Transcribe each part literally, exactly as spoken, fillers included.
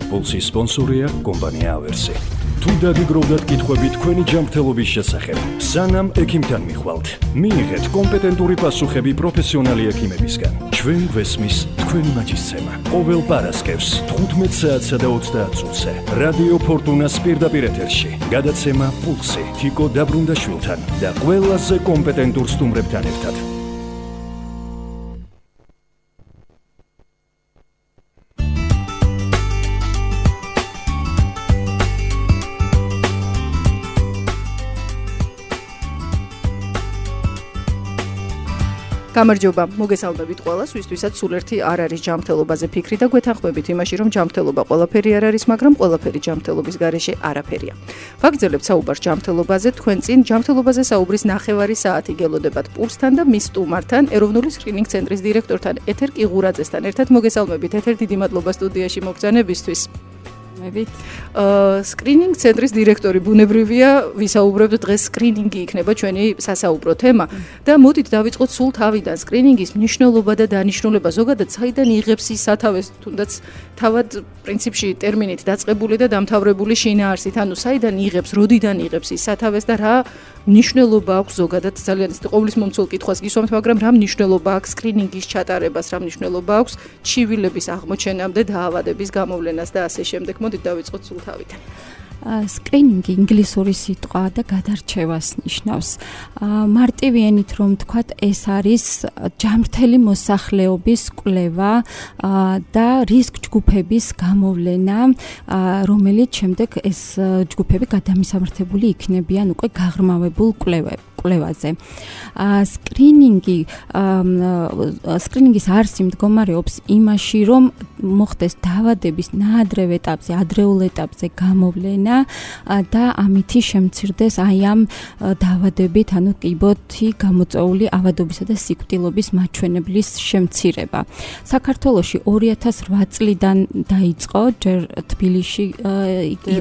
პულსის სპონსორია კომპანია ავერსი. თუ დაგიგროვდათ კითხვები თქვენი ჯანმრთელობის შესახებ, სანამ ექიმთან მიხვალთ, მიიღეთ კომპეტენტური პასუხები პროფესიონალი ექიმებისგან. ჩვენ გვესმის თქვენი მაჯისცემა. ყოველ პარასკევს თხუთმეტ საათსა და ოცდაათ წუთზე რადიო ფორტუნას პირდაპირ ეთერში გადაცემა პულსი თიკო დაბრუნდაშვილთან და ყველაზე კომპეტენტურ სტუმრებთან ერთად. გამარჯობა, მოგესალმებით ყველას, ვისთვისაც სულ ერთი არ არის ჯანმრთელობაზე ფიქრი და გვეთანხმებით იმაში, რომ ჯანმრთელობა ყველაფერი არ არის, მაგრამ ყველაფერი ჯანმრთელობის გარეშე არაფერია. ვაგრძელებთ საუბარს ჯანმრთელობაზე, თქვენ წინ ჯანმრთელობაზე საუბრის ნახევარი საათი გელოდებათ პულსთან და მის სტუმართან, ეროვნული სკრინინგ ცენტრის დირექტორთან ეთერ კიღურაძესთან ერთად. მოგესალმებით, ეთერ დიდი მადლობა სტუდიაში მოგზაურობისთვის. სკრინინგ ცენტრის დირექტორი ბუნებრივია, ვისაუბრებთ დღეს სკრინინგი იქნება ჩვენი სასაუბრო თემა და მოდით დავიწყოთ სულ თავიდან სკრინინგის მნიშვნელობა და დანიშნულება ზოგადად საიდან იღებს ის სათავეს, თუნდაც თავად პრინციპში ტერმინით დაწყებული და დამთავრებული შინაარსით, ანუ საიდან იღებს, როდიდან იღებს ის სათავეს და რა მნიშვნელობა აქვს ზოგადად ძალიან ყოვლისმომცველ კითხვას გისვამთ, მაგრამ რა მნიშვნელობა აქვს სკრინინგის ჩატარებას, რა მნიშვნელობა აქვს ჩივილების აღმოჩენამდე, დაავადების გამოვლენას და ასე შემდეგ. მოდით დავიწყოთ სულ თავიდან. სკრინინგი ინგლისური სიტყვა და გადარჩევას ნიშნავს. მარტივი ენით რომ ვთქვათ, ეს არის ჯანმრთელი მოსახლეობის კვლევა და რისკ ჯგუფების გამოვლენა, რომელიც შემდეგ ეს ჯგუფები გადამისამართებული იქნებიან უკვე გაღრმავებულ კვლევებში. კვლევაზე. სკრინინგი სკრინინგის არსი მდგომარეობს იმაში, რომ მოხდეს დაავადების ნაადრევ ეტაპზე, ადრეულ ეტაპზე გამოვლენა და ამითი შემცირდეს აი ამ დაავადებით, ანუ კიბოთი გამოწვეული ავადობისა და სიკვდილობის მაჩვენებლის შემცირება. საქართველოში ორი ათას რვა წლიდან დაიწყო, ჯერ თბილისში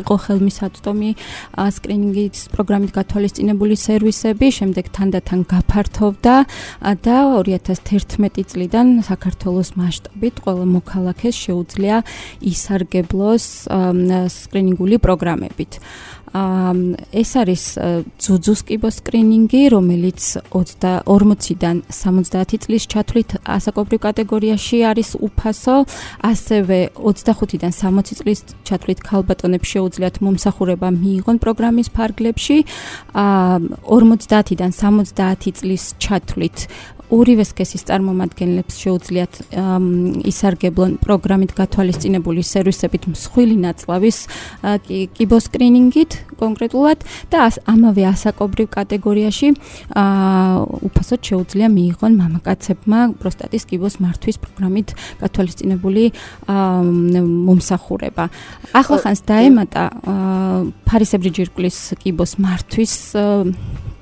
იყო ხელმისაწვდომი სკრინინგის პროგრამით გათვალისწინებული სერვისები, შემდეგ თანდათან გაფართოვდა და ორი ათას თერთმეტი წლიდან საქართველოს მასშტაბით ყველა მოქალაქეს შეუძლია ისარგებლოს სკრინინგული პროგრამებით. ეს არის ძუძუს კიბოს სკრინინგი, რომელიც ორმოციდან სამოცდაათი წლის ჩათვლით ასაკობრივ კატეგორიაში არის უფასო, ასევე ოცდახუთიდან სამოცი წლის ჩათვლით ქალბატონებს შეუძლიათ მომსახურება მიიღონ პროგრამის ფარგლებში, ორმოცდაათიდან სამოცდაათი წლის ჩათვლით ორივე სქესის წარმომადგენლებს შეუძლიათ ისარგებლონ პროგრამით გათვალისწინებული სერვისებით მსხვილი ნაწლავის კიბოსკრინინგით კონკრეტულად და ამავე ასაკობრივ კატეგორიაში უფასოდ შეუძლია მიიღონ მამაკაცებმა პროსტატის კიბოს მართვის პროგრამით გათვალისწინებული მომსახურება. ახლახანს დაემატა ფარისებრი ჯირკვლის კიბოს მართვის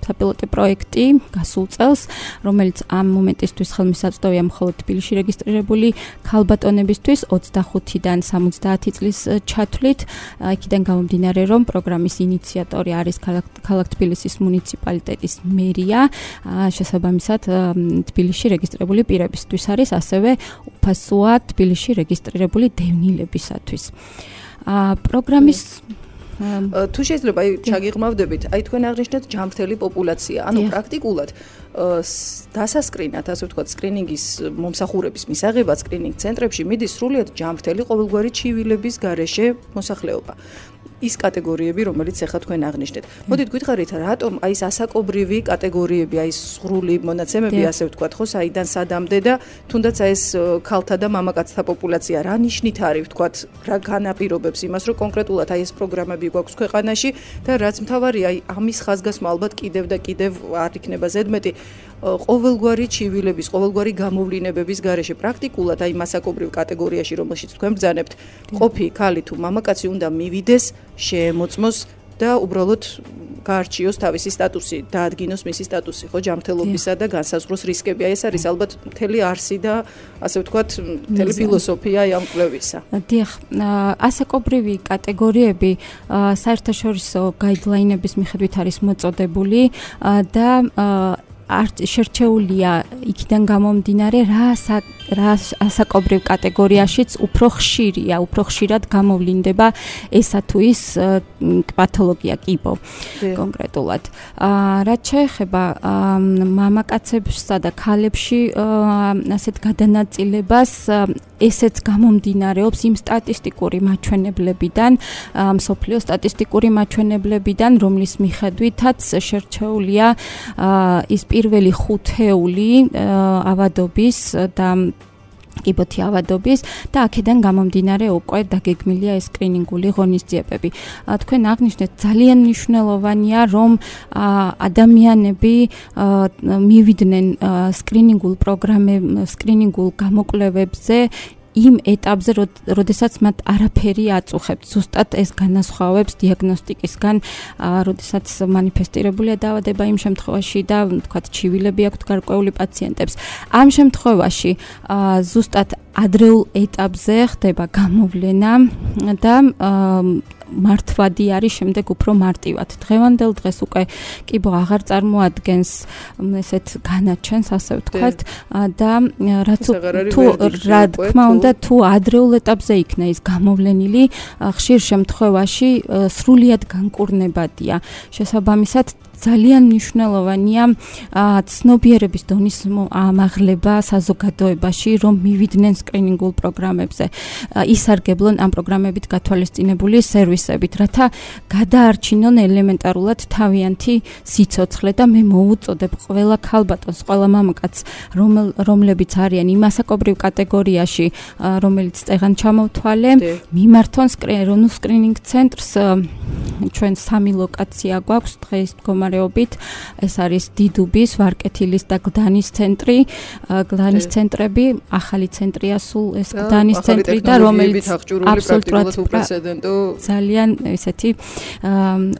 საპილოტო პროექტი გასულ წელს, რომელიც ამ მომენტისთვის ხელმისაწვდომია მხოლოდ თბილისში რეგისტრირებული ქალბატონებისთვის ოცდახუთიდან სამოცდაათი წლის ჩათვლით. იქიდან გამომდინარე, რომ პროგრამის ინიციატორი არის ქალაქ თბილისის მუნიციპალიტეტის მერია, შესაბამისად თბილისში რეგისტრირებული პირებისთვის არის ასევე უფასოა თბილისში რეგისტრირებული დევნილებისათვის. პროგრამის თუ შეიძლება აი ჩაგიღმავდებით, აი თქვენ აღნიშნეთ ჯანმრთელი პოპულაცია, ანუ პრაქტიკულად დასასკრინად, ასე ვთქვათ, სკრინინგის მომსახურების მისაღებად სკრინინგ ცენტრებში მიდის სრულიად ჯანმრთელი ყოველგვარი ჩივილების გარეშე მოსახლეობა. ის კატეგორიები, რომელიც ახლა თქვენ აღნიშნეთ. მოდით გვითხარით, რატომ აი ეს ასაკობრივი კატეგორიები, აი სრული მონაცემები, ასე ვთქვათ, ხო, საიდან სადამდე და თუნდაც აი ეს ქალთა და მამაკაცთა პოპულაცია რა ნიშნით არის, ვთქვათ, რა განაპირობებს იმას, რომ კონკრეტულად აი ეს პროგრამები გვაქვს ქვეყანაში და რაც მთავარია, აი ამის ხაზგასმა ალბათ კიდევ და კიდევ არ იქნება ზედმეტი ყოველგვარი ჩივილების, ყოველგვარი გამოვლინებების გარეშე პრაქტიკულად აი მასაკობრივ კატეგორიაში, რომელშიც თქვენ ბრძანებთ, ყოფი ქალი თუ მამაკაცი უნდა მივიდეს, შეემოწმოს და უბრალოდ გაარჩიოს თავისი სტატუსი, დაადგინოს მისი სტატუსი, ხო, ჯანმრთელობისა და განსაზღვროს რისკები. აი ეს არის ალბათ მთელი არსი და ასე ვთქვათ, მთელი ფილოსოფია ამ კვლევისა. დიახ, ასაკობრივი კატეგორიები საერთაშორისო გაიდლაინების მიხედვით არის მოწოდებული და არ შერჩეულია იქიდან გამომდინარე რა რა ასაკობრივ კატეგორიაშიც უფრო ხშირია, უფრო ხშირად გამოვლინდება ესა თუ ის პათოლოგია კიბო კონკრეტულად. რაც შეეხება მამაკაცებსა და ქალებში ასეთ გადანაწილებას, ესეც გამომდინარეობს იმ სტატისტიკური მაჩვენებლებიდან, მსოფლიო სტატისტიკური მაჩვენებლებიდან, რომლის მიხედვითაც შერჩეულია ის პირველი ხუთეული ავადობის და კიბოთი ავადობის და აქედან გამომდინარე უკვე დაგეგმილია ეს სკრინინგული ღონისძიებები. თქვენ აღნიშნეთ, ძალიან მნიშვნელოვანია, რომ ადამიანები მივიდნენ სკრინინგულ პროგრამებს, სკრინინგულ გამოკვლევებზე იმ ეტაპზე, როდესაც მათ არაფერი აწუხებთ. ზუსტად ეს განასხვავებს დიაგნოსტიკისგან, როდესაც მანიფესტირებულია დაავადება იმ შემთხვევაში და თქვათ ჩივილები აქვთ გარკვეული პაციენტებს. ამ შემთხვევაში ზუსტად ადრეულ ეტაპზე ხდება გამოვლენა და მართვადი არის შემდეგ უფრო მარტივად. დღევანდელ დღეს უკვე კიბო აღარ წარმოადგენს ესეთ განაჩენს, ასე ვთქვათ, და რაც თუ რა თქმა უნდა თუ ადრეულ ეტაპზე იქნა ის გამოვლენილი, ხშირ შემთხვევაში სრულიად განკურნებადია. შესაბამისად ძალიან მნიშვნელოვანია ცნობიერების დონის ამაღლება საზოგადოებაში, რომ მივიდნენ სკრინინგულ პროგრამებზე, ისარგებლონ ამ პროგრამებით გათვალისწინებული სერვისებით, რათა გადაარჩინონ ელემენტარულად თავიანთი სიცოცხლე და მე მოუწოდებ ყველა ქალბატონს, ყველა მამაკაცს, რომლებიც არიან იმ ასაკობრივ კატეგორიაში, რომელიც წეღან ჩამოვთვალე, მიმართონ ეროვნულ სკრინინგ ცენტრს. ჩვენ სამი ლოკაცია გვაქვს დღეს მდგომარეობით. ეს არის დიდუბის, ვარკეთილის და გდანის ცენტრი. გდანის ცენტრები, ახალი ცენტრია სულ ეს გდანის ცენტრი და რომელიც აბსოლუტურად ძალიან ესეთი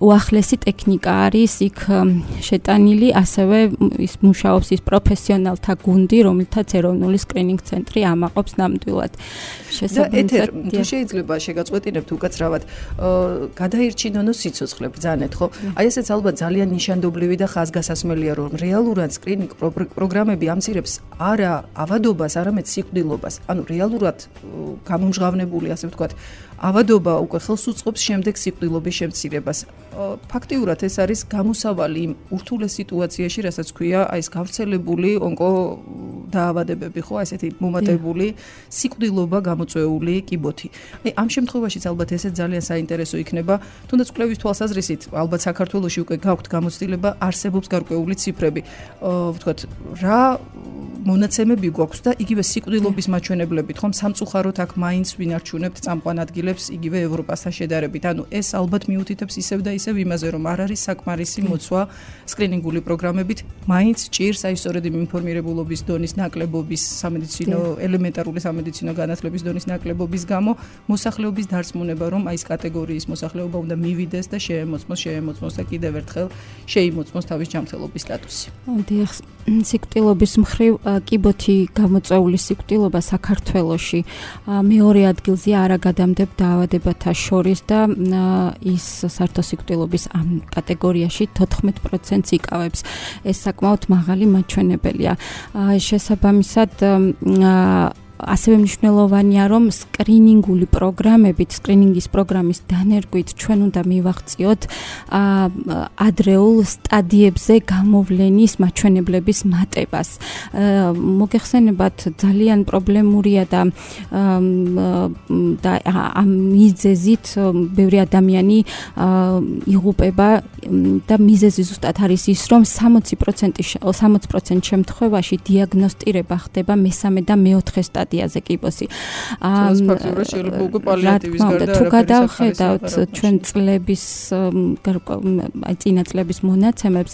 უახლესი ტექნიკა არის იქ შეტანილი, ასევე ის მუშაობს ის პროფესიონალთა გუნდი, რომელთაც ეროვნული სკრინინგ ცენტრი ამაყობს ნამდვილად. შესაბამისად, თუ შეიძლება შეგაწყვეტინებთ უკაცრავად, გადაირჩინონო სიცოცხლე ბრძანეთ, ხო? აი ესეც ალბათ ძალიან ნიშანდობლივი და ხაზგასასმელია, რომ რეალურად სკრინინგ პროგრამები ამცირებს არა ავადობას, არამედ სიკვდილობას. ანუ რეალურად გამომჟღავნებული, ასე ვთქვათ, ავადობა უკვე ხელს უწყობს შემდეგ სიკვდილობის შემცირებას. ფაქტიურად ეს არის გამოსავალი იმ ურთულეს სიტუაციაში, რასაც ქვია აი ეს გავრცელებული ონკო დაავადებები, ხო, ესეთი მომატებული სიკვდილობა გამოწვეული კიბოთი. აი ამ შემთხვევაშიც ალბათ ესეც ძალიან საინტერესო იქნება, თუნდაც კვლევის თვალსაზრისით, ალბათ საქართველოში უკვე გაქვთ გამოცდილება, არსებობს გარკვეული ციფრები. ვთქვათ, რა მონაცემები გვაქვს და იგივე სიკვდილობის მაჩვენებლებით, ხომ სამწუხაროდ აქ მაინც ვინარჩუნებთ წამყვან ადგილებს იგივე ევროპასთან შედარებით. ანუ ეს ალბათ მიუთითებს ისევ და ისევ იმაზე, რომ არ არის საკმარისი მოცვა სკრინინგული პროგრამებით, მაინც ჭირს აი სწორედ იმ ინფორმირებულობის დონის ნაკლებობის, სამედიცინო ელემენტარული სამედიცინო განათლების დონის ნაკლებობის გამო მოსახლეობის დარწმუნება, რომ აი ეს კატეგორიის მოსახლეობა უნდა მივიდეს და შეემოწმოს, შეემოწმოს და კიდევ ერთხელ შეიმოწმოს თავის ჯანმრთელობის სტატუსი. დიახ, სიკვდილობის მხრივ კიბოთი გამოწვეული სიკვდილობა საქართველოში მეორე ადგილზე არა გადამდებ დაავადებათა შორის და ის საერთო სიკვდილობის ამ კატეგორიაში თოთხმეტ პროცენტს იკავებს. ეს საკმაოდ მაღალი მაჩვენებელია. შესაბამისად ასევე მნიშვნელოვანია, რომ სკრინინგული პროგრამებით, სკრინინგის პროგრამის დანერგვით ჩვენ უნდა მივაღწიოთ ადრეულ სტადიებზე გამოვლენის მაჩვენებლების მატებას. მოგეხსენებათ, ძალიან პრობლემურია და და ამ მიზეზით ბევრი ადამიანი იღუპება და მიზეზი ზუსტად არის ის, რომ სამოცი პროცენტ შემთხვევაში დიაგნოსტირება ხდება მესამე და მეოთხე სტადიაზე კიბოსი. ეს ფაქტობრივად შეიძლება უკვე პალიატივის გარდა თუ გადავხედავთ ჩვენ წლების აი წინა წლების მონაცემებს,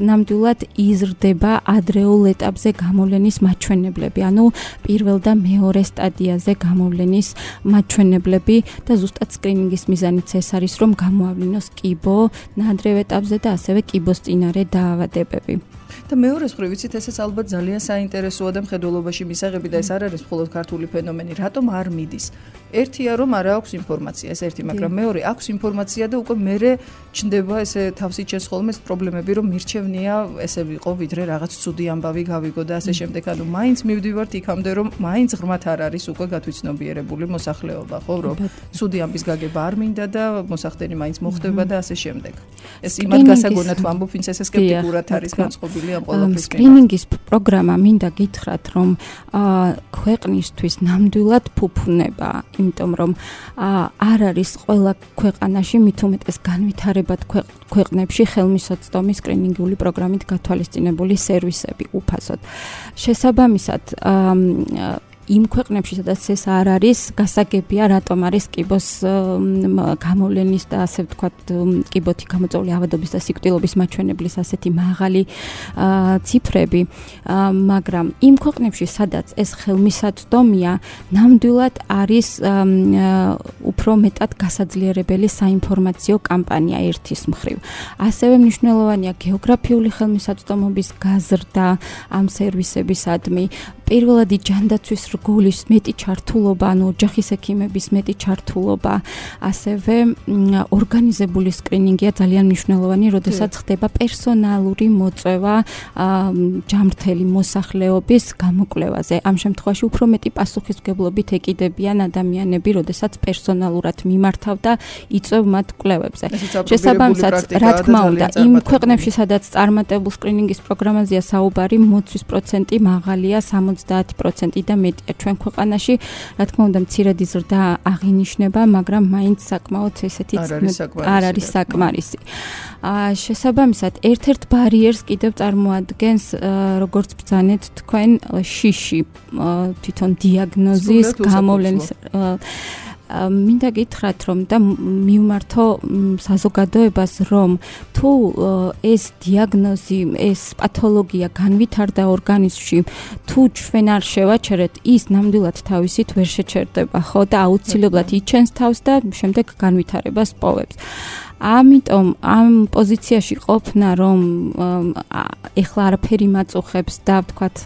ნამდვილად იზრდება ადრეულ ეტაპზე გამოვლენის მაჩვენებლები, ანუ პირველ და მეორე სტადიაზე გამოვლენის მაჩვენებლები და ზუსტად სკრინინგის მიზანიც ეს არის, რომ გამოავლინოს კიბო ნადრევ ეტაპზე და ასევე კიბოს წინარე დაავადებები. და მეორეს მხრივ ვიცით, ესეც ალბათ ძალიან საინტერესოა და მხედველობაში მისაღები და ეს არ არის მხოლოდ ქართული ფენომენი, რატომ არ მიდის ერთია რომ არ აქვს ინფორმაცია, ეს ერთი, მაგრამ მეორე აქვს ინფორმაცია და უკვე მერე ჩნდება ესე თავსით შესხოლმე ეს პრობლემები, რომ მირჩევნია ესე ვიყო, ვიდრე რაღაც ცუდი ამბავი გავიგო და ასე შემდეგ. ანუ მაინც მივდივართ იქამდე, რომ მაინც ღრმად არ არის უკვე გათვითცნობიერებული მოსახლეობა, ხო, რომ ცუდი ამბის გაგება არ მინდა და მოსახდენი მაინც მოხდება და ასე შემდეგ. ეს იმად გასაგონად ვამბობ, ვინც ესე სკეპტიკურად არის განწყობილი ამ ყველაფრის. სკრინინგის პროგრამა მინდა გითხრათ, რომ ქვეყნისთვის ნამდვილად ფუფუნება, იმიტომ რომ არ არის ყველა ქვეყანაში მით უმეტეს განვითარებად ქვეყნებში ხელმისაწვდომი სკრინინგული პროგრამით გათვალისწინებული სერვისები უფასოდ. შესაბამისად, იმ ქვეყნებში, სადაც ეს არ არის, გასაგებია, რატომ არის კიბოს გამოვლენის და ასე ვთქვათ, კიბოთი გამოწვეული ავადობის და სიკვდილობის მაჩვენებლის ასეთი მაღალი ციფრები, მაგრამ იმ ქვეყნებში, სადაც ეს ხელმისაწვდომია, ნამდვილად არის უფრო მეტად გასაძლიერებელი საინფორმაციო კამპანია ერთის მხრივ. ასევე მნიშვნელოვანია გეოგრაფიული ხელმისაწვდომობის გაზრდა ამ სერვისებისადმი, პირველადი ჯანდაცვის რგოლის მეტი ჩართულობა, ანუ ოჯახის ექიმების მეტი ჩართულობა, ასევე ორგანიზებული სკრინინგია ძალიან მნიშვნელოვანი, როდესაც ხდება პერსონალური მოწვევა ჯანმრთელი მოსახლეობის გამოკვლევაზე. ამ შემთხვევაში უფრო მეტი პასუხისმგებლობით ეკიდებიან ადამიანები, როდესაც პერსონალურად მიმართავ და იწვევ მათ კვლევებზე. შესაბამისად, რა თქმა უნდა, იმ ქვეყნებში, სადაც წარმატებულ სკრინინგის პროგრამაზეა საუბარი, მოცვის პროცენტი მაღალია, ოცდაათი პროცენტი და მეტია ჩვენ ქვეყანაში, რა თქმა უნდა, მცირედი ზრდა აღინიშნება, მაგრამ მაინც საკმაოდ ესეთი არ არის საკმარისი. შესაბამისად, ერთ-ერთ ბარიერს კიდევ წარმოადგენს, როგორც ბრძანეთ თქვენ, შიში, თვითონ დიაგნოზის გამოვლენის მინდა გითხრათ, რომ და მივმართო საზოგადოებას, რომ თუ ეს დიაგნოზი, ეს პათოლოგია განვითარდა ორგანიზმში, თუ ჩვენ არ შევაჩერეთ, ის ნამდვილად თავისით ვერ შეჩერდება, ხო და აუცილებლად იჩენს თავს და შემდეგ განვითარებას პოვებს. ამიტომ ამ პოზიციაში ყოფნა, რომ ეხლა არაფერი მაწუხებს და ვთქვათ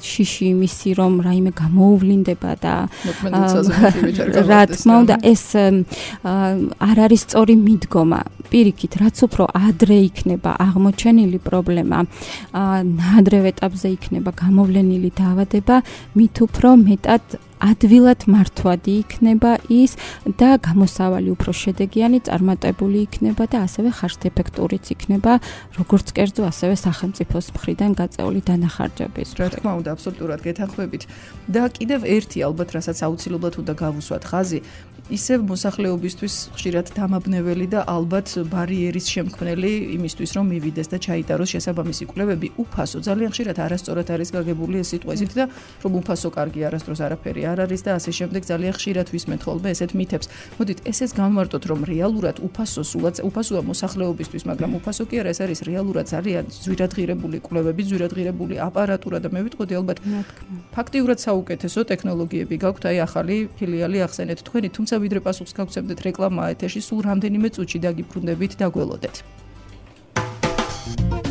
შიში იმისი, რომ რაიმე გამოუვლინდება და რა თქმა უნდა ეს არ არის სწორი მიდგომა. პირიქით, რაც უფრო ადრე იქნება აღმოჩენილი პრობლემა, ნაადრევ ეტაპზე იქნება გამოვლენილი დაავადება, მით უფრო მეტად ადვილად მართვადი იქნება ის და გამოსავალი უფრო შედეგიანი, წარმატებული იქნება და ასევე ხარჯ-ეფექტურიც იქნება, როგორც კერძო, ასევე სახელმწიფოს მხრიდან გაწეული დანახარჯების. რა თქმა უნდა, აბსოლუტურად გეთანხმებით. და კიდევ ერთი ალბათ, რასაც აუცილებლად უნდა გავუსვათ ხაზი, ისევ მოსახლეობისთვის ხშირად დამაბნეველი და ალბათ ბარიერის შემქმნელი იმისთვის, რომ მივიდეს და ჩაიტაროს შესაბამისი კვლევები უფასო. ძალიან ხშირად არასწორად არის გაგებული ეს სიტყვა ისეთ და რომ უფასო კარგი არასდროს არაფერი არ არის და ასე შემდეგ ძალიან ხშირად ვისმენთ ხოლმე ესეთ მითებს. მოდით, ესეც გამოვარტოთ, რომ რეალურად უფასო სულაც უფასოა მოსახლეობისთვის, მაგრამ უფასო კი არა, ეს არის რეალურად ძალიან ძვირადღირებული კვლევები, ძვირადღირებული აპარატურა და მე ვიტყოდი ალბათ ფაქტიურად საუკეთესო ტექნოლოგიები გაქვთ, აი ახალი ფილიალი ახსენეთ თქვენი, თუმცა ვიდრე პასუხს გავცემდეთ რეკლამა ეთერში, სულ რამდენიმე წუთში დაგიბრუნდებით და გველოდეთ.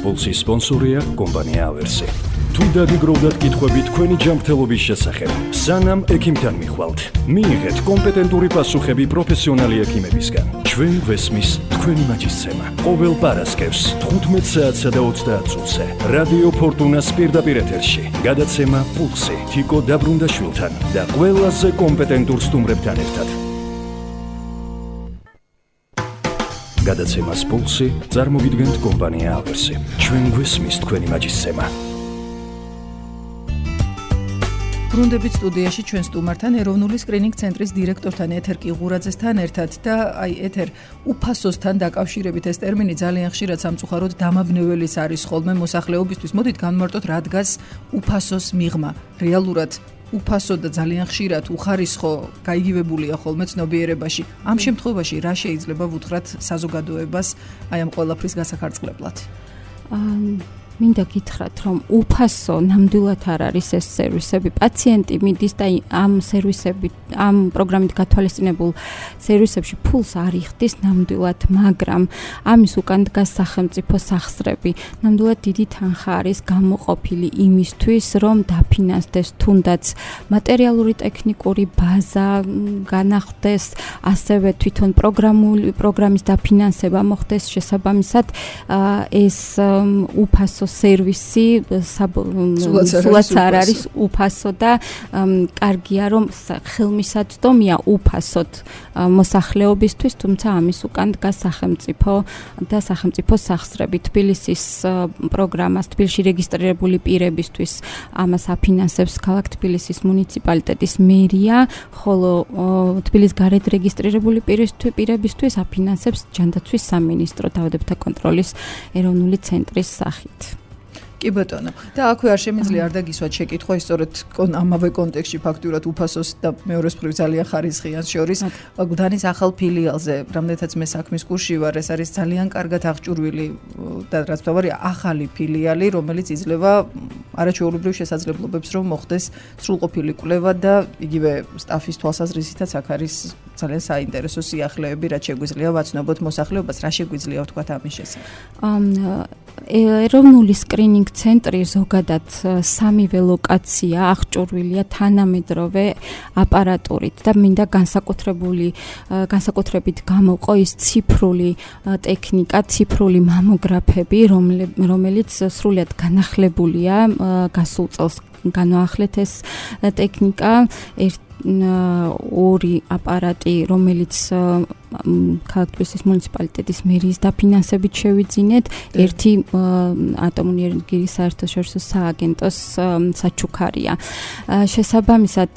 პულსის სპონსორია კომპანია ავერსი. თუ დაგიგროვდათ კითხვები თქვენი ჯანმრთელობის შესახებ, სანამ ექიმთან მიხვალთ, მიიღეთ კომპეტენტური პასუხები პროფესიონალი ექიმებისგან. ჩვენ გვესმის თქვენი მაჯისცემა. ყოველ პარასკევს თხუთმეტ საათსა და ოცდაათ წუთზე რადიო ფორტუნას პირდაპირ ეთერში გადაცემა პულსი თიკო დაბრუნდაშვილთან და ყველაზე კომპეტენტურ სტუმრებთან ერთად. გადაცემას პულსი წარმოვიდგენთ კომპანია ავერსი. ჩვენ გვესმის თქვენი მაჯისცემა. ბრუნდებით სტუდიაში ჩვენ სტუმართან, ეროვნული სკრინინგ ცენტრის დირექტორთან ეთერ კიღურაძესთან ერთად და აი ეთერ უფასოსთან დაკავშირებით ეს ტერმინი ძალიან ხშირად სამწუხაროდ დამაბნეველის არის ხოლმე მოსახლეობისთვის. მოდით განვმარტოთ, რა დგას უფასოს მიღმა. რეალურად უფასო და ძალიან ხშირად უხარისხო გაიგივებულია ხოლმე ცნობიერებაში. ამ შემთხვევაში რა შეიძლება ვუთხრათ საზოგადოებას აი ამ ყველაფრის გასახარწყლებლად? მინდა გითხრათ, რომ უფასო ნამდვილად არ არის ეს სერვისები. პაციენტი მიდის და ამ სერვისებით, ამ პროგრამით გათვალისწინებულ სერვისებში ფულს არ იხდის ნამდვილად, მაგრამ ამის უკან დგას სახელმწიფო სახსრები. ნამდვილად დიდი თანხა არის გამოყოფილი იმისთვის, რომ დაფინანსდეს თუნდაც მატერიალური ტექნიკური ბაზა განახდეს, ასევე თვითონ პროგრამული პროგრამის დაფინანსება მოხდეს შესაბამისად ეს უფასო სერვისი სულაც არ არის უფასო და კარგია რომ ხელმისაწვდომია უფასოდ მოსახლეობისთვის, თუმცა ამის უკან დგას სახელმწიფო და სახელმწიფო სახსრები. თბილისის პროგრამას თბილისში რეგისტრირებული პირებისთვის ამას აფინანსებს ქალაქ თბილისის მუნიციპალიტეტის მერია, ხოლო თბილისის გარეთ რეგისტრირებული პირებისთვის აფინანსებს ჯანდაცვის სამინისტრო დაავადებათა კონტროლის ეროვნული ცენტრის სახით. კი ბატონო. და აქვე არ შემიძლია არ დაგისვათ შეკითხვა, სწორედ ამავე კონტექსტში ფაქტურად უფასოს და მეორეს მხრივ ძალიან ხარისხიან შორის გუდანის ახალ ფილიალზე, რამდენადაც მე საქმის კურსში ვარ, ეს არის ძალიან კარგად აღჭურვილი და რაც თავარია ახალი ფილიალი, რომელიც იძლევა არაჩვეულებრივ შესაძლებლობებს, რომ მოხდეს სრულყოფილი კვლევა და იგივე სტაფის თვალსაზრისითაც აქ არის ძალიან საინტერესო სიახლეები, რაც შეგვიძლია ვაცნობოთ მოსახლეობას, რა შეგვიძლია ვთქვათ ამის შესახებ. ეროვნული სკრინინგ ცენტრი ზოგადად სამივე ლოკაცია აღჭურვილია თანამედროვე აპარატურით და მინდა განსაკუთრებული განსაკუთრებით გამოვყო ის ციფრული ტექნიკა, ციფრული მამოგრაფები, რომელიც სრულიად განახლებულია გასულ წელს განაახლეთ ეს ტექნიკა ორი აპარატი, რომელიც ქალაქ თბილისის მუნიციპალიტეტის მერიის დაფინანსებით შევიძინეთ, ერთი ატომური ენერგიის საერთაშორისო სააგენტოს საჩუქარია. შესაბამისად,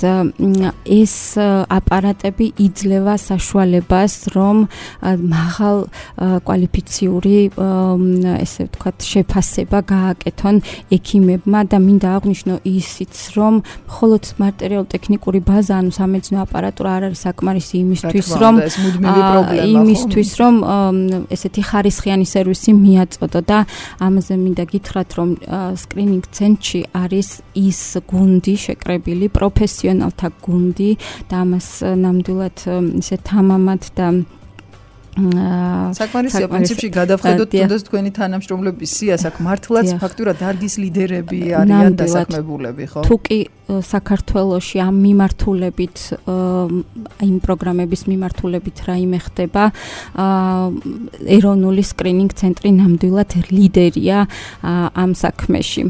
ეს აპარატები იძლევა საშუალებას, რომ მაღალ კვალიფიციური, ესე ვთქვათ, შეფასება გააკეთონ ექიმებმა და მინდა აღვნიშნო ისიც, რომ მხოლოდ მატერიალურ-ტექნიკური ბაზა, ანუ სამედიცინო აპარატურა არ არის საკმარისი იმისთვის, რომ იმისთვის რომ ესეთი ხარისხიანი სერვისი მიაწოდო და ამაზე მინდა გითხრათ, რომ სკრინინგ ცენტრში არის ის გუნდი შეკრებილი, პროფესიონალთა გუნდი და ამას ნამდვილად ისე თამამად და საკმარისია პრინციპში გადავხედოთ თუნდაც თქვენი თანამშრომლების სიას, აქ მართლაც ფაქტურად დარგის ლიდერები არიან დასაქმებულები, ხო? თუკი საქართველოში ამ მიმართულებით, იმ პროგრამების მიმართულებით რაიმე ხდება, ეროვნული სკრინინგ ცენტრი ნამდვილად ლიდერია ამ საქმეში.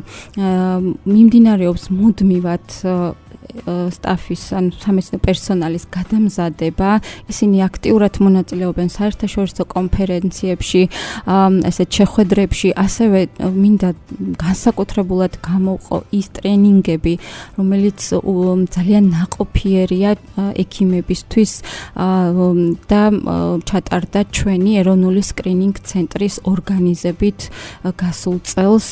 მიმდინარეობს მუდმივად სტაფის ან სამედიცინო პერსონალის გადამზადება, ისინი აქტიურად მონაწილეობენ საერთაშორისო კონფერენციებში, ესეთ შეხვედრებში, ასევე მინდა განსაკუთრებულად გამოვყო ის ტრენინგები, რომელიც ძალიან ნაყოფიერია ექიმებისთვის და ჩატარდა ჩვენი ეროვნული სკრინინგ ცენტრის ორგანიზებით გასულ წელს.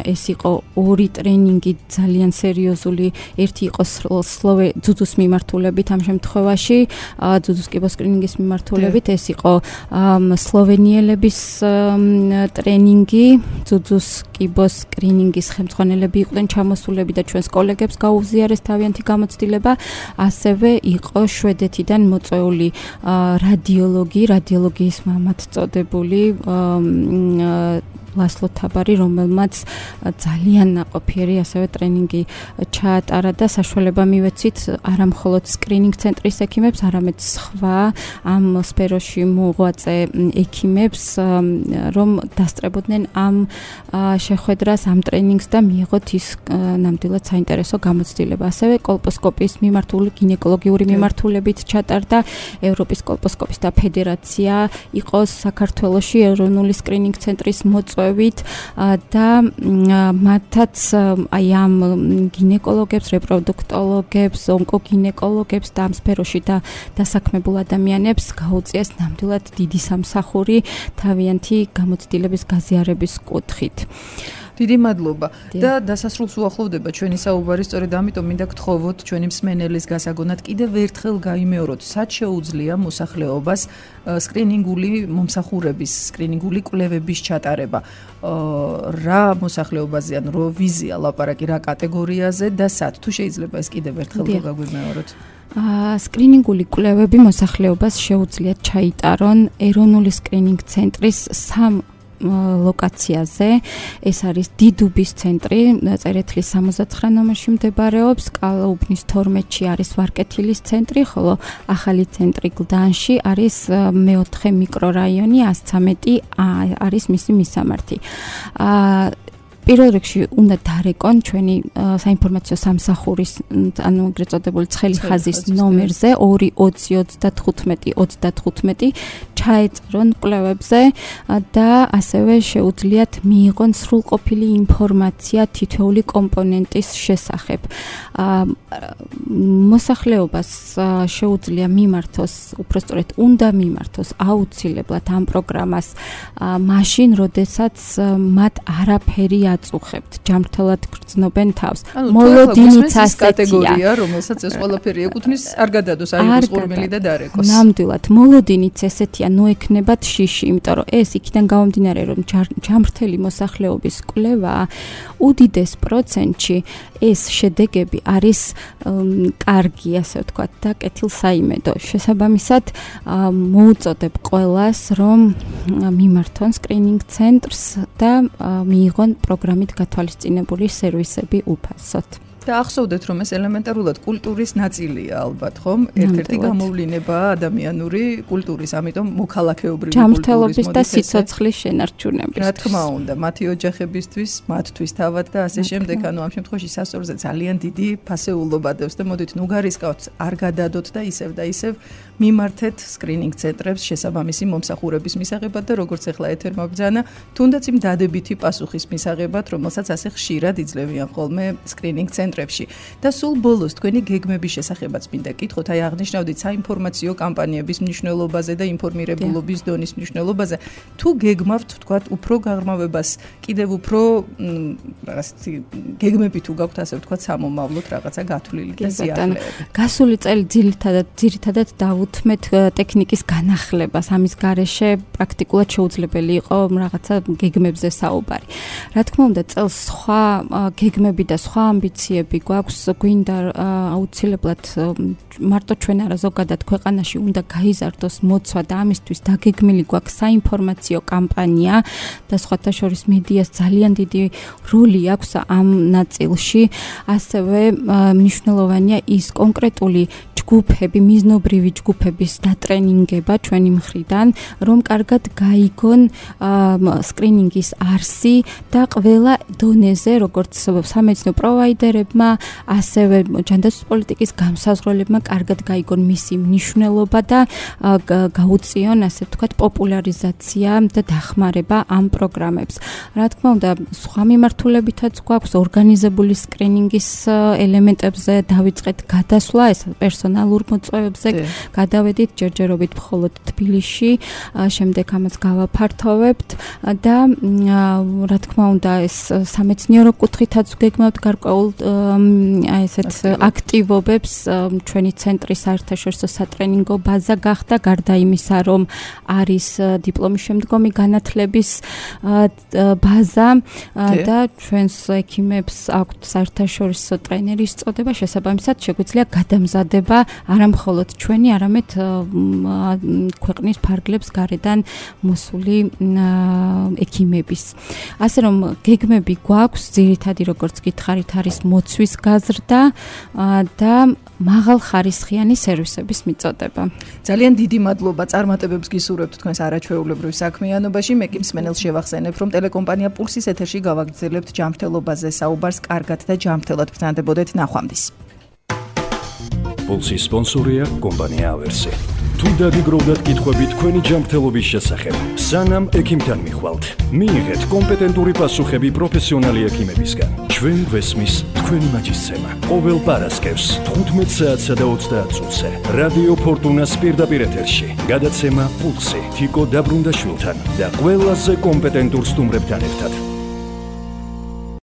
ეს იყო ორი ტრენინგი ძალიან სერიოზული, ერთი იყო სლოვე ძუძუს მიმართულებით ამ შემთხვევაში, ძუძუს კიბოსკრინინგის მიმართულებით, ეს იყო სლოვენიელების ტრენინგი, ძუძუს კიბოსკრინინგის ხელმძღვანელები იყვნენ ჩამოსულები და ჩვენს კოლეგებს გაუზიარეს თავიანთი გამოცდილება, ასევე იყო შვედეთიდან მოწვეული რადიოლოგი, რადიოლოგიის მამად წოდებული ლასლო თაბარი, რომელმაც ძალიან ნაყოფიერი ასევე ტრენინგი ჩაატარა და საშუალება მივეცით არა მხოლოდ სკრინინგ ცენტრის ექიმებს, არამედ სხვა ამ სფეროში მოღვაწე ექიმებს, რომ დასწრებოდნენ ამ შეხვედრას, ამ ტრენინგს და მიიღოთ ის ნამდვილად საინტერესო გამოცდილება. ასევე კოლპოსკოპიის მიმართული გინეკოლოგიური მიმართულებით ჩატარდა ევროპის კოლპოსკოპისტთა ფედერაცია, იყო საქართველოში ეროვნული სკრინინგ ცენტრის მოწვევა და მათაც აი ამ გინეკოლოგებს, რეპროდუქტოლოგებს, ონკოგინეკოლოგებს და ამ სფეროში და დასაქმებულ ადამიანებს გაუწიეს ნამდვილად დიდი სამსახური თავიანთი გამოცდილების გაზიარების კუთხით. დიდი მადლობა და დასასრულს უახლოვდება ჩვენი საუბარი, სწორედ ამიტომ მინდა გთხოვოთ ჩვენი მსმენელის გასაგონად კიდევ ერთხელ გაიმეოროთ, სად შეუძლია მოსახლეობას სკრინინგული მომსახურების, სკრინინგული კვლევების ჩატარება. რა მოსახლეობაზე ან რო ვიზია ლაპარაკი რა კატეგორიაზე და სად, თუ შეიძლება ეს კიდევ ერთხელ გაგვიმეოროთ. სკრინინგული კვლევები მოსახლეობას შეუძლიათ ჩაიტარონ ეროვნული სკრინინგ ცენტრის სამ ლოკაციაზე. ეს არის დიდუბის ცენტრი, წერეთლის სამოცდათხრა ნომერში მდებარეობს, კალაუბნის თორმეტში არის ვარკეთილის ცენტრი, ხოლო ახალი ცენტრი გლდანში არის მეოთხე მიკრორაიონი, ას ცამეტი არის მისი მისამართი. პირველ რიგში უნდა დარეკონ ჩვენი საინფორმაციო სამსახურის, ანუ ეგრეთ წოდებული ცხელი ხაზის ნომერზე ორი ოცი ოცდათხუთმეტი ოცდათხუთმეტი ჩაეწერონ კვლევებზე და ასევე შეუძლიათ მიიღონ სრულყოფილი ინფორმაცია თითოეული კომპონენტის შესახებ. მოსახლეობას შეუძლია მიმართოს, უпростоრეთ უნდა მიმართოს აუცილებლად ამ პროგრამას მაშინ, როდესაც მათ არაფერი აწუხებთ, ჯანმრთელად გრძნობენ თავს. მოლოდინიც კატეგორია, რომელსაც ეს ყველაფერი ეკუთვნის, არ გადადოს, აიღოს ყურმელი და დარეკოს. ნამდვილად, მოლოდინიც ესეთია, ნოექნებათ შიში, იმიტომ რომ ეს იქიდან გამომდინარე, რომ ჯანმრთელი მოსახლეობის კვლევა უდიდეს პროცენტში ეს შედეგები არის კარგი, ასე ვთქვათ, და კეთილსაიმედო. შესაბამისად, მოუწოდებ ყველას, რომ მიმართონ სკრინინგ ცენტრს და მიიღონ პროგრამით გათვალისწინებული სერვისები უფასოდ. და ახსოვდეთ, რომ ეს ელემენტარულად კულტურის ნაწილია ალბათ, ხომ? ერთ-ერთი გამოვლენა ადამიანური კულტურის, ამიტომ მოქალაქეობრივი კულტურის ჯანმრთელობის და სიცოცხლის შენარჩუნების. რა თქმა უნდა, მათი ოჯახებისთვის, მათთვის თავად და ასე შემდეგ, ანუ ამ შემთხვევაში სასწორზე ძალიან დიდი ფასეულობა დევს და მოდით ნუ გარისკავთ, არ გადადოთ და ისევ და ისევ მიმართეთ სკრინინგ ცენტრებს შესაბამისი მომსახურების მისაღებად და როგორც ახლა ეთერმა ბრძანა, თუნდაც იმ დადებითი პასუხის მისაღებად, რომელსაც ასე ხშირად იძლევიან ხოლმე სკრინინგ ცენტრებში. და სულ ბოლოს თქვენი გეგმების შესახებაც მინდა გითხოთ, აი აღნიშნავდით საინფორმაციო კამპანიების მნიშვნელობაზე და ინფორმირებულობის დონის მნიშვნელობაზე. თუ გეგმავთ, ვთქვათ, უფრო გაღრმავებას, კიდევ უფრო რაღაცა გეგმები თუ გაქვთ, ასე ვთქვათ, სამომავლოდ რაღაცა გათვლილი და სიახლეები. გასული წელი ძირითადად ძირითადად დავუთმეთ ტექნიკის განახლებას. ამის გარეშე პრაქტიკულად შეუძლებელი იყო რაღაცა გეგმებზე საუბარი. რა თქმა უნდა, წელს სხვა გეგმები და სხვა ამბიციები გვაქვს, გვინდა აუცილებლად მარტო ჩვენ არა, ზოგადად ქვეყანაში უნდა გაიზარდოს მოცვა და ამისთვის დაგეგმილი გვაქვს საინფორმაციო კამპანია და სხვათა შორის მედიას ძალიან დიდი როლი აქვს ამ ნაწილში. ასევე მნიშვნელოვანია ის კონკრეტული ჯგუფები, მიზნობრივი ჯგუფების დატრენინგება ჩვენი მხრიდან, რომ კარგად გაიგონ სკრინინგის არსი და ყველა დონეზე, როგორც სამედიცინო პროვაიდერებმა, ასევე ჯანდაცვის პოლიტიკის გამსაზღვრელებმა კარგად გაიგონ მისი მნიშვნელობა და გაუწიონ, ასე ვთქვათ, პოპულარიზაცია და დახმარება ამ პროგრამებს. რა თქმა უნდა, სხვა მიმართულებითაც გვაქვს ორგანიზებული სკრინინგის ელემენტებზე დავიწყეთ გადასვლა, ეს პერსონალურ მოწვევებზე გადავედით ჯერჯერობით მხოლოდ თბილისში, შემდეგ ამას გავაფართოვებთ და რა თქმა უნდა, ეს სამეცნიერო კუთხითაც გეგმავთ გარკვეულ აი ესეთ აქტივობებს. ჩვენი ცენტრის საერთაშორისო სატრენინგო ბაზა გახდა, გარდა იმისა, რომ არის დიპლომის შემდგომი განათლების ბაზა და ჩვენს ექიმებს აქვთ საერთაშორისო ტრენერის წოდება, შესაბამისად შეგვიძლია გადამზადება არა მხოლოდ ჩვენი, არამედ ქვეყნის ფარგლებს გარედან მოსული ექიმების. ასე რომ გეგმები გვაქვს, ძირითადი როგორც გითხარით, არის მოცვის გაზრდა და მაღალხარისხიანი სერვისების მიწოდება. ძალიან დიდი მადლობა, წარმატებებს გისურვებთ თქვენს არაჩვეულებრივ საქმიანობაში. მე კი მსმენელს შევახსენებ, რომ ტელეკომპანია პულსის ეთერში გავაგრძელებთ ჯანმრთელობაზე საუბარს, კარგად და ჯანმრთელად ბრძანდებოდეთ. ნახვამდის. პულსის სპონსორია კომპანია ავერსი. თუ დაგიგროვდათ კითხვები თქვენი ჯანმრთელობის შესახებ, სანამ ექიმთან მიხვალთ, მიიღეთ კომპეტენტური პასუხები პროფესიონალი ექიმებისგან. ჩვენ გვესმის თქვენი მაჯისცემა. ყოველ პარასკევს თხუთმეტ საათსა და ოცდაათ წუთზე რადიო ფორტუნას პირდაპირ ეთერში გადაცემა პულსი თიკო დაბრუნდაშვილთან და ყველაზე კომპეტენტურ სტუმრებთან ერთად.